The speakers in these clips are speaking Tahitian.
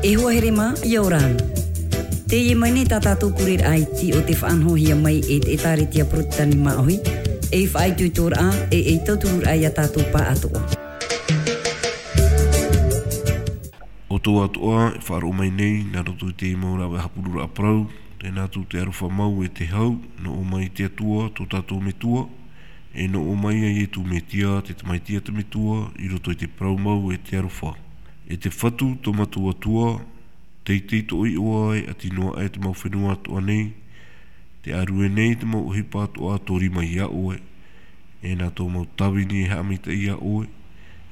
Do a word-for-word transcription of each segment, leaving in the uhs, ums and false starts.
E hoa here mā, ʻia ora na. Teie mai nei tā tātou kureraʻa iti o te faʻanahohia mai e te ʻĒtārētia Porotetani Māʻohi, ei faʻaitoitoraʻa, e ei tautururaʻa ia tātou pāʻatoʻa. ʻOutou atoʻa e faʻaroʻo mai nei, nā roto i te mau rāveʻa haʻapuroroʻa parau, tē nā atu te aroha mau e te hau, nō ʻō mai te Atua, tō tātou Metua, e nō ʻō mai ia Ietu Metia, te Tamaiti a te Metua, i roto i te parau mau e te aroha. E te Fatu, tō mātou Atua, teitei toʻo iʻoa e ʻati noa aʻe te mau fenua atoʻa nei, tē ʻārue nei te mau ʻohipa atoʻa tō rima ia ʻoe, e nā tō mau tāvini e haʻamaitaʻi ia ʻoe,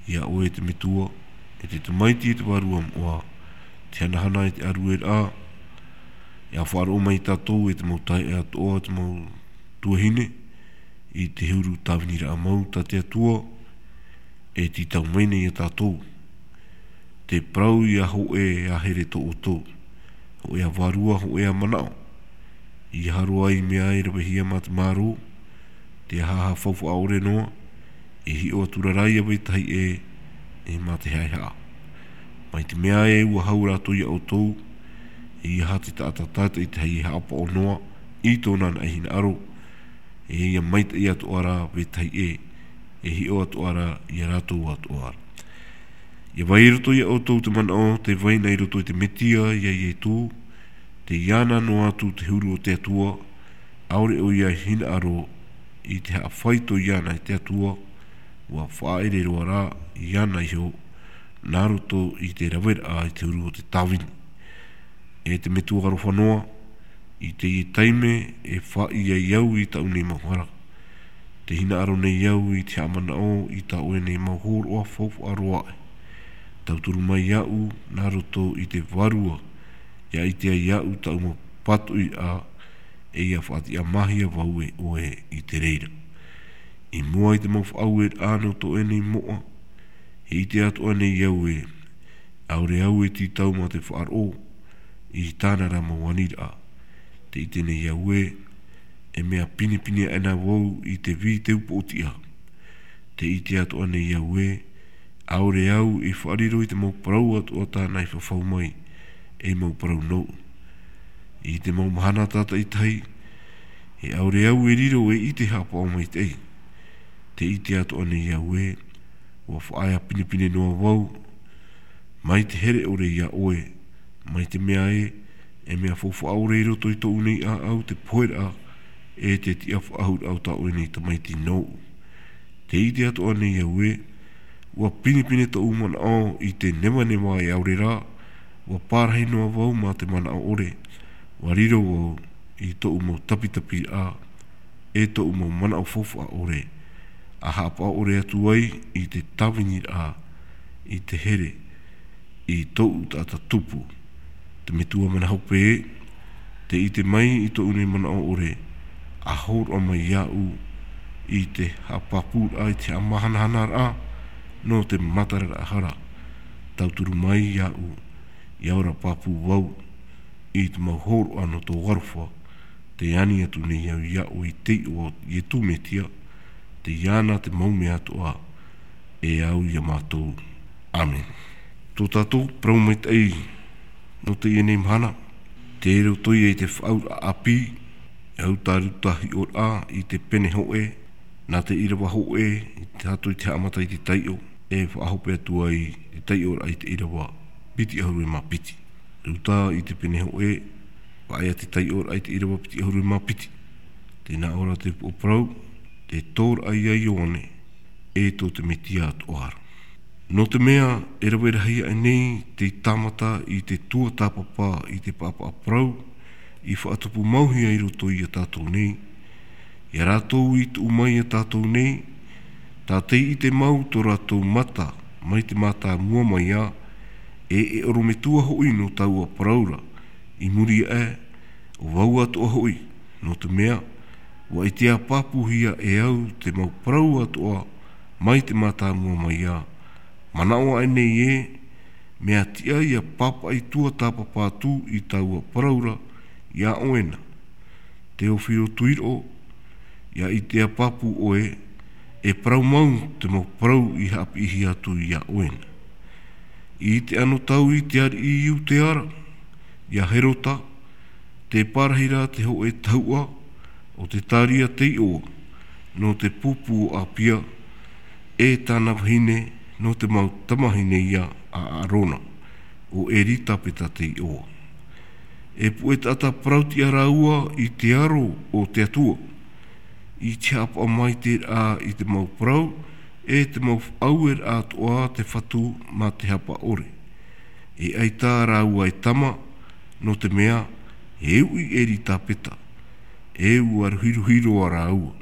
ia ʻoe te Metua, e te Tamaiti e te Vārua Moʻa, te hanahana e te ʻārueraʻa, ʻia faʻaroʻo mai tātou e te mau taeaʻe atoʻa, te mau tuahine, i te huru tāviniraʻa mau tā te Atua, e tītau mai nei ia tātou. Te parau ʻia hōʻē ā here tō ʻoutou, hōʻē ā vārua, hōʻē ā manaʻo. ʻIa haro ai mea e ravehia mā te mārō, te aha faufaʻa ʻore noa, e hiʻo atu ra rā ia vetahi ʻē, e mā te haʻehaʻa. Mai te mea ē ʻua hau rātou ia ʻoutou, e ʻeiaha te taʻata tātaʻitahi e haʻapaʻo noa i tōna anaʻe hinaʻaro, e ʻia maitaʻi atoʻa ra vetahi ʻē, e hiʻo atoʻa ra ia rātou atoʻa ra. ʻIa vai i roto ia ʻoutou te manaʻo, tē vai na i roto i te Metia, ia Ietu, tei iāna noa atu te huru o te Atua, ʻaore ʻoia e hinaʻaro i te haʻafaito iāna e te Atua, ʻua faʻaʻere roa rā iāna iho, nā roto i te raveraʻa i te huru o te tāvini. E te Metua aroha noa, i teie taime e faʻaʻī ai au i tāʻu nei mau hara. Tē hinaʻaro nei au i te haʻamanaʻo i tā ʻoe nei mau hōroʻa faufaʻa roa aʻe. Tauturu mai iāʻu nā roto i te Vārua, ʻia ʻite ai iāʻu tāʻu mau pātoʻiraʻa, e ʻia faʻatiʻamāhia vau e ʻoe i te reira. I mua i te mau faʻaueraʻa nō tō ʻoe nei moʻa, e ʻite atoʻa nei au ē, ʻaore au e tītau mā te faʻaroʻo i tāna ra mau aniraʻa. Tē ʻite nei au ē, e mea pinepine aʻe na vau i te vī te upoʻotiʻa. Tē ʻite atoʻa nei au ē, ʻaore au e faʻariro i te mau parau atoʻa tāna i fafau mai, ei mau parau nōʻu. I te mau mahana tātaʻitahi, e ʻaore au e riro e ʻite haʻapaʻo maitaʻi. Tē ʻite atoʻa nei au ē, ʻua faʻaea pinepine noa vau, mai te here ʻore ia ʻoe, mai te mea ē, e mea faufaʻa ʻore i roto i tōʻu nei ʻāʻau te poheraʻa, e te tiʻafaʻahouraʻa o tā ʻoe nei tamaiti nōʻu. Tē ʻite atoʻa nei au ē, ʻua pinepine tōʻu manaʻo i te nevaneva e ʻaore rā, ʻua pārahi noa vau mā te manaʻo ʻore, ʻua riro vau i tōʻu mau tapitapiraʻa, e tōʻu mau manaʻo faufaʻa ʻore, ʻa haʻapaʻo ʻore atu ai i te tāviniraʻa, i te here, i tōʻu taʻata tupu. Te Metua manaʻo hope ē, tē ʻite mai i tōʻu nei manaʻo ʻore, ʻa hōroʻa mai iāʻu i te haʻapāpūraʻa, i te haʻamahanahanaraʻa, nō te matararaʻa hara. Tauturu mai iāʻu, ʻia ora pāpū vau, i te mau hōroʻa nō tō aroha, tē ani atu nei au ia ʻoe i te iʻoa o Ietu Metia, tei iāna te mau mea atoʻa, e au ia mātou. ʻĀmene. Tō tātou parau maitaʻi nō teie nei mahana, tei roto ia i te Faʻaauraʻa ʻĀpī, e au tā Ruta hiʻoraʻa i te pene hōʻē, nā te ʻīrava hōʻē, i te, tātou i te haʻamata i te taiʻo, e faʻahope atu ai te taiʻoraʻa i te ʻīrava piti ʻahuru e mā piti. Ruta i te pene hōʻē, faʻaea te taiʻoraʻa i te ʻīrava piti ʻahuru e mā piti. Tē nā ʻō ra te upoʻo parau, te tōraʻa ia Ioane, e tō te Metia atoʻa ra. Nō te mea, e rave rahi aʻe nei te tāmata i te tuatāpapa i te paʻapaʻa parau, i faʻatupumauhia i roto ia tātou nei, ia rātou i tuʻu mai ia tātou nei, tātaʻi ʻite mau tō rātou mata, mai te mātāmua mai ā, e, e ʻorometua hoʻi nō taua parau ra, i muri aʻe, ʻo vau atoʻa hoʻi, nō te mea, ʻua ʻitea pāpūhia e au te mau parau atoʻa, mai te mātāmua mai ā, manaʻo aʻe nei ē, mea tiʻa ʻia pāpaʻi tuatāpapa atu i taua parau ra, ia ʻoe na. Teofiro tuiroʻo, ʻia ʻitea pāpū ʻoe, e parau mau te mau parau i haʻapiʻihia atu ia ʻoe na. I te anotau i te ariʻi i Iudea ra, ia Herota, tē parahi ra te hōʻē tahuʻa o te tāria tei ʻoa, nō te pupu o Apia, e tāna vahine, nō te mau tamahine ia a Arona, ʻo Eritapeta tei ʻoa. E puʻe taʻata parautiʻa rāua i te aro o te Atua, i te haʻapaʻo maitaʻi ra i te mau parau, e te mau faʻaueraʻa atoʻa te fatu mā te haʻapaʻo ʻore. E ʻaita rāua e tama, nō te mea, e uʻi Eritapeta, e ʻua ruhiruhi roa rāua.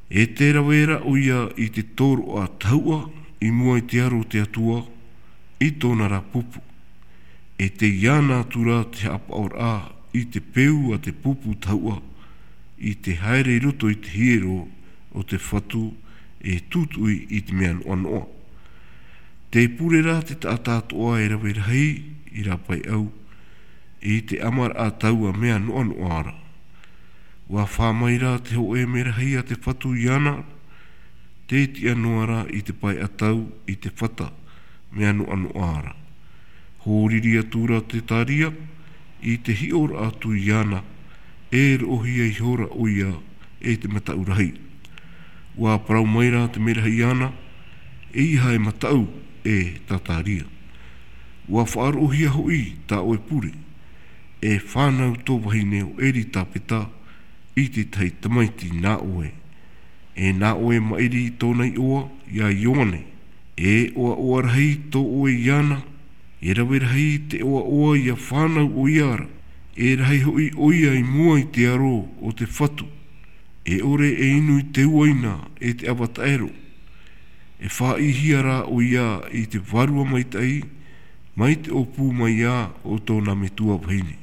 E tē rave ra ʻoia i te tōroʻa tahuʻa, i mua i te aro o te Atua, i tōna ra pupu. E tei iāna atu ra te haʻapaʻoraʻa i te peu a te pupu tahuʻa, i te haere i roto i te hiero o te fatu, e tūtuʻi i te mea noʻanoʻa. Tē pure ra te taʻata atoʻa e rave rahi i rāpae au, i te ʻamaraʻa taua mea noʻanoʻa ra. ʻUa fā mai ra te hōʻē merahi a te fatu iāna, tē tiʻa noa ra i te pae ʻatau i te fata, mea noʻanoʻa ra. Hōriri atu ra te tāria, i te hiʻoraʻa atu iāna, e roʻohia ihora ʻoia e te mataʻu rahi. ʻUa parau mai ra te merahi iāna, ʻeiaha e mataʻu e tā tāria. ʻUa faʻaroʻohia hoʻi tā ʻoe pure, e fānau tō vahine ʻo Eritapeta i te tahi tamaiti nā ʻoe. E nā ʻoe maʻiri tōna iʻoa, ia Ioane. E ʻoaʻoa rahi tō ʻoe iāna, e rave rahi te ʻoaʻoa ia fānau ʻoia ra. E rahi hoʻi ʻoia i mua i te aro o te fatu. E ʻore e inu i te uaina e te ʻava taʻero. E faʻaʻīhia rā ʻoia i te vārua maitaʻi, mai te ʻōpū mai ā o tōna metua vahine.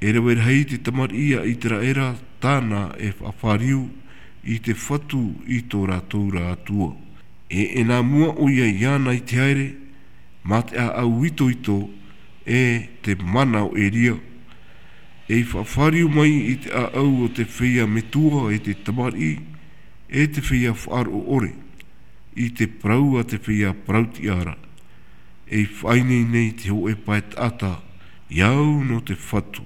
E rave rahi te tamariʻi a Iteraera tāna e faʻafāriu i te fatu i tō rātou ra Atua. E ʻenā mua ʻoia iāna i te haere, mā te ʻāʻau itoito, e te mana o Eria. E faʻafāriu mai i te ʻāʻau o te feiā metua e te tamariʻi, e te feiā faʻaroʻo ʻore, i te parau a te feiā parautiʻa ra. E faʻaineine i te hōʻē pae taʻata, i au nō te fatu.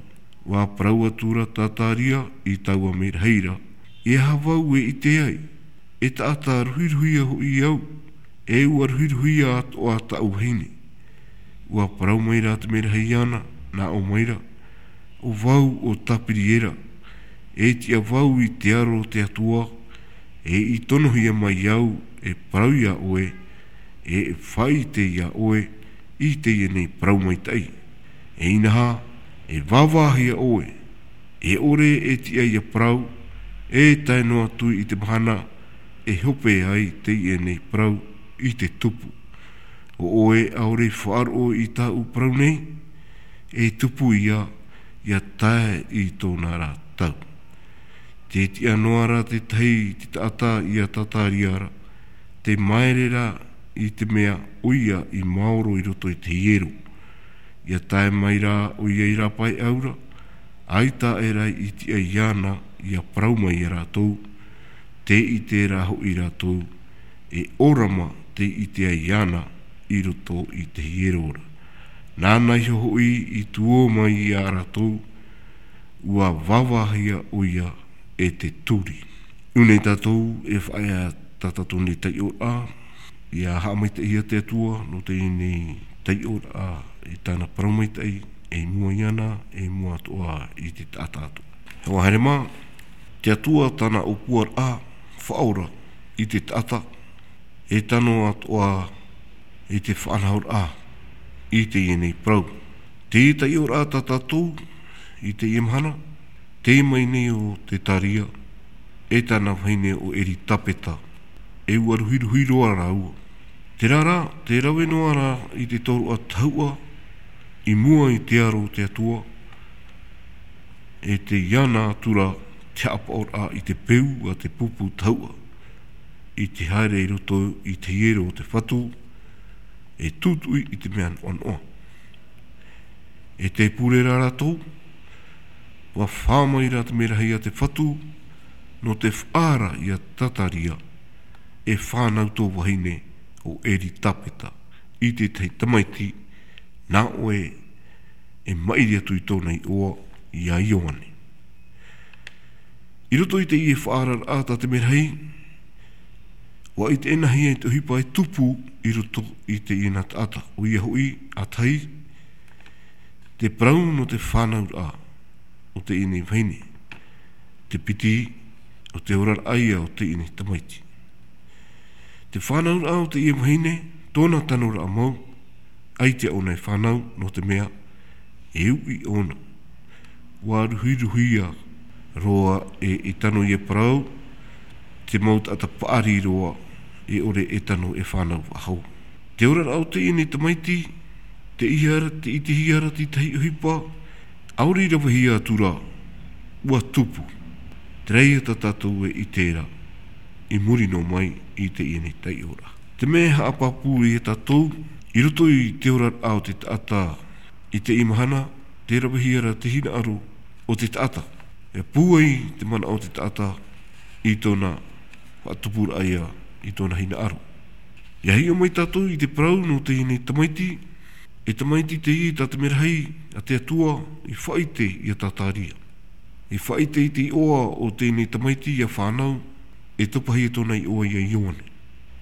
ʻUa parau atu ra tā tāria i taua merahi ra, ʻeiaha vau e ʻite ai, e taʻata ruhiruhia hoʻi au, e ʻua ruhiruhia atoʻa tāʻu vahine. ʻUa parau mai ra te merahi iāna, nā ʻō mai ra, ʻo vau ʻo Tapiriera, e tiʻa vau i te aro o te Atua, e i tonohia mai au, e parau iā ʻoe, e e faʻaʻite iā ʻoe, i teie nei parau maitaʻi. E inaha, e vāvāhia ʻoe, e ʻore e tiʻa ia parau, e tae noa atu i te mahana, e hope ai teie nei parau i te tupu. ʻO ʻoe ʻaore i faʻaroʻo i tāʻu parau nei, e tupu ia, ia tae i tōna ra tau. Tē tiʻa noa ra te tahi te taʻata ia Tataria ra, tē maere ra i te mea ʻoia i maoro i roto i te hiero. Ia tae mai ra ʻoia i rāpae au ra, ʻaita e rā i tiʻa iāna ia parau mai iā rātou, tē ʻite ra hoʻi rātou, e ʻōrama tē ʻite ai iāna i roto i te hiero ra. Nāna iho hoʻi i tuō mai iā rātou, ʻua vāvāhia ʻoia e te turi. Nō reira tātou e faʻaea tā tātou nei taiʻoraʻa, ia haʻamaitaʻihia te Atua, nō teie nei taiʻoraʻa i tāna parau maitaʻi, e i mua iāna, e i mua atoʻa i te taʻata atoʻa. Hoa here mā, te Atua tāna ʻōpuaraʻa, faʻaora i te taʻata, e tano atoʻa i te faʻanahoraʻa i teie nei parau. Te taiʻoraʻa tā tātou i teie mahana, tē mai nei ʻo Tetaria, e tāna vahine ʻo Eritapeta, e ʻua ruhiruhi roa rāua. Terā rā, tē rave noa ra i te tōroʻa tahuʻa, i mua i te aro o te Atua, e tei iāna atu ra te haʻapaʻoraʻa i te peu a te pupu tahuʻa, i te haere i roto i te hiero o te fatu, e tūtuʻi i te mea noʻanoʻa. E tē pure ra rātou, ʻua fā mai ra te merahi a te fatu, nō te faʻaara iā Tataria, e fānau tō vahine ʻo Eritapeta, i te tahi tamaiti, nā ʻoe e maʻiri atu i tōna iʻoa, iā Ioane. I roto i teie faʻaararaʻa tā te merahi, ʻua ʻite ʻēnā hia i te ʻohipa e tupu i roto i teie nā taʻata, ʻoia hoʻi, ʻa tahi, te parau nō te fānauraʻa o teie nei vahine, te piti o te oraraʻa ia o teie nei tamaiti. Te fānauraʻa o teie vahine, tōna tanoraʻa mau, ʻaita ʻōna e fānau, nō te mea, e uʻi ʻōna. ʻUa ruhiruhia roa e, e tano ia parau, te mau taʻata paʻari roa, e ʻore e tano e fānau faʻahou. Te oraraʻa o teie nei tamaiti, tē ʻitehia ra, tē ʻitehia ra te tahi ʻohipa, ʻaore i ravehia atu ra, ʻua tupu. Terā ia tā tātou e ʻite ra, i muri noa mai i teie nei taiʻoraʻa. Te mea e haʻapāpū iā tātou, i roto i te oraraʻa o te taʻata, i teie mahana, tē ravehia ra te hinaʻaro o te taʻata. E pūai te manaʻo o te taʻata i tōna faʻatupuraʻa ia, i tōna hinaʻaro. ʻIa hiʻo mai tātou i te parau nō teie nei tamaiti, e tamaiti teie tā te merahi a te Atua i faʻaʻite iā Zakaria. I faʻaʻite i te iʻoa o teie nei tamaiti ʻia fānau, e tapahia tōna iʻoa iā Ioane.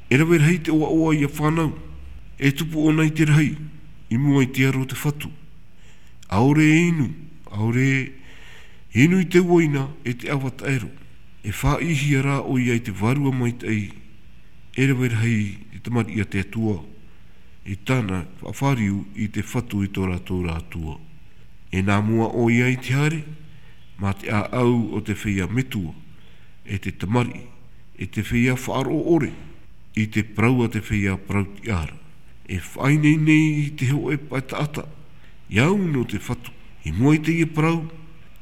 E rave rahi te ʻoaʻoa ʻia fānau, e tupu ʻōna i te rahi, i mua i te aro o te Fatu. ʻAore e inu, ʻaore e inu i te uaina e te ʻava taʻero. E faʻaʻitehia rā ʻoia i te Vārua Maitaʻi, e rave rahi te tamariʻi a te Atua, i tāna faʻafāriu i te Fatu i tō rātou ra Atua. E nā mua ʻoia i te haere, mā te ʻāʻau o te feiā metua, e te tamariʻi, e te feiā faʻaroʻo ʻore, i te parau a te feiā parau tiʻa ra. E faʻaineine i te hōʻē pae taʻata, ʻia au nō te Fatu. I mua i teie parau,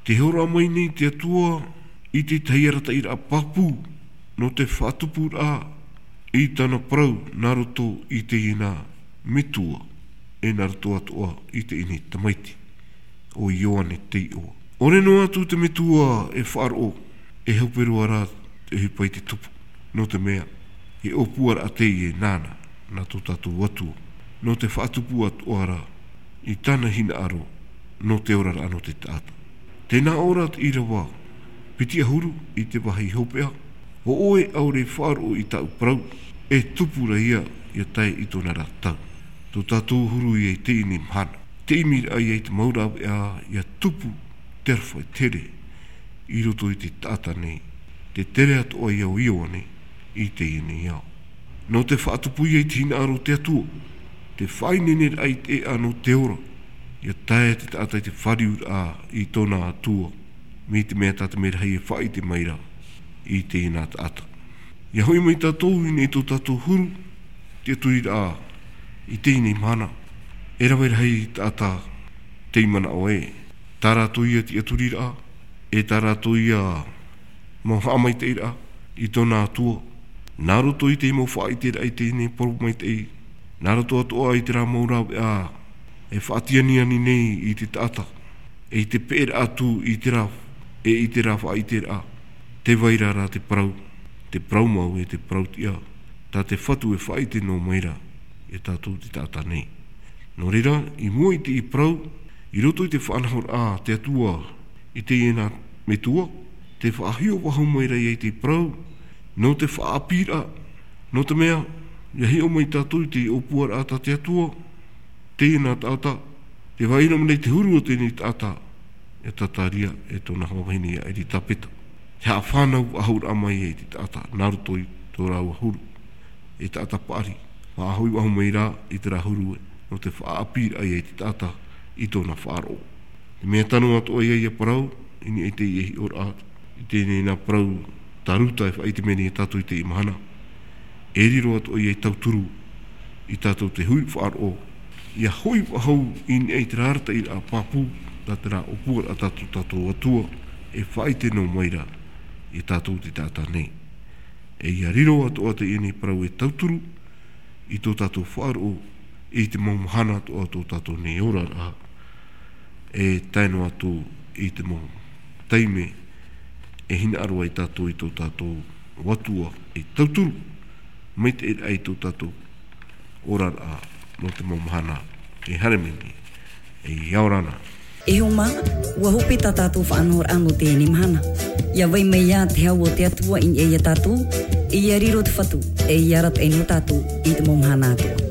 tē hōroʻa mai nei te Atua i te tahi arataʻiraʻa pāpū nō te faʻatupuraʻa i tāna parau nā roto i teie nā metua, e nā roto atoʻa i teie nei tamaiti, ʻo Ioane te iʻoa. ʻAore noa atu te metua e faʻaroʻo, e hope roa rā te ʻohipa i te tupu, nō te mea, e ʻōpuaraʻa teie nāna, nā tō tātou Atua, nō te faʻatupu atoʻa ra i tāna hinaʻaro, nō te oraraʻa nō te taʻata. Tē nā ʻō ra te ʻīrava piti ʻahuru i te vāhi hopeʻa, ʻo ʻoe ʻaore i faʻaroʻo i tāʻu parau, e tupu ra ia, ʻia tae i tōna ra tau. Tō tātou huru ia i teie nei mahana. Te ʻimiraʻa ia i te mau rāveʻa, ʻia tupu te aroha e tere i roto i te taʻata nei, te tere atoʻa ia o Ioane i teie nei ao. Nō te faʻatupu ia i te hinaʻaro o te Atua, te faʻaineineraʻa i te ʻēʻa nō te ora, ʻia tae te taʻata i te fāriuraʻa i tōna Atua, mai te mea tā te merahi e faʻaʻite mai ra i teie nā taʻata. ʻIa hoʻi mai tātou i niʻa i tō tātou huru, tiʻaturiraʻa i teie nei mahana, e rave rahi taʻata tei manaʻo ē, tā rātou ia tiʻaturiraʻa, e tā rātou ia mau haʻamaitaʻiraʻa i tōna Atua, nā roto i te mau faʻaʻiteraʻa i teie nei parau maitaʻi, nā roto atoʻa i terā mau rāveʻa e faʻatianiani nei i te taʻata, e i te peʻeraʻa atu i terā, e i terā faʻaʻiteraʻa, tē vai ra rā te parau, te parau mau e te parau tiʻa, tā te Fatu e faʻaʻite noa mai ra, e tātou te taʻata nei. Nō reira, i mua i teie parau, i roto i te faʻanahoraʻa a te Atua i teie nā metua, tē faʻahiʻo faʻahou mai ra ia i te parau, nō te faʻaʻāpīraʻa, nō te mea, ʻia hiʻo mai tātou i te ʻōpuaraʻa tā te Atua, teie nā taʻata, tē faʻaʻino mai nei te huru o teie nei taʻata, e Zakaria, e tōna hoa vahine ia Elisabeta. Te haʻafānau faʻahouraʻa mai ai te taʻata, nā roto i tō rāua huru, e taʻata paʻari, faʻahoʻi faʻahou mai rā i terā huru ē, nō te faʻaʻāpīraʻa ia i te taʻata i tōna faʻaroʻo. Te mea tano atoʻa ia ʻia parau, i niʻa i teie hiʻoraʻa, i teie nei nā parau tā Ruta e faʻaʻite mai nei ia tātou i teie mahana. E riro atoʻa ia e tauturu, i tātou te hui faʻaroʻo, ʻia hoʻi faʻahou i niʻa i terā arataʻiraʻa pāpū, nā terā ʻōpuaraʻa tā tō tātou Atua, e faʻaʻite noa mai ra, ia tātou te taʻata nei. E ʻia riro atoʻa teie nei parau e tauturu, i tō tātou faʻaroʻo, i te mau mahana atoʻa o tō tātou nei oraraʻa, e tae noa atu i te mau taime, e hinaʻaro ai tātou i tō tātou Atua, e tauturu, maitaʻi ra i tō tātou oraraʻa, Nō te mau mahana e haere mai nei, e ʻia ora na. E hoa mā, ʻua hope tā tātou faʻanahoraʻa nō teie mahana. ʻIa vai mai ā te hau o te Atua i niʻa ia tātou, e ʻia riro te Fatu, e ʻia arataʻi nō tātou i te mau mahana atoʻa.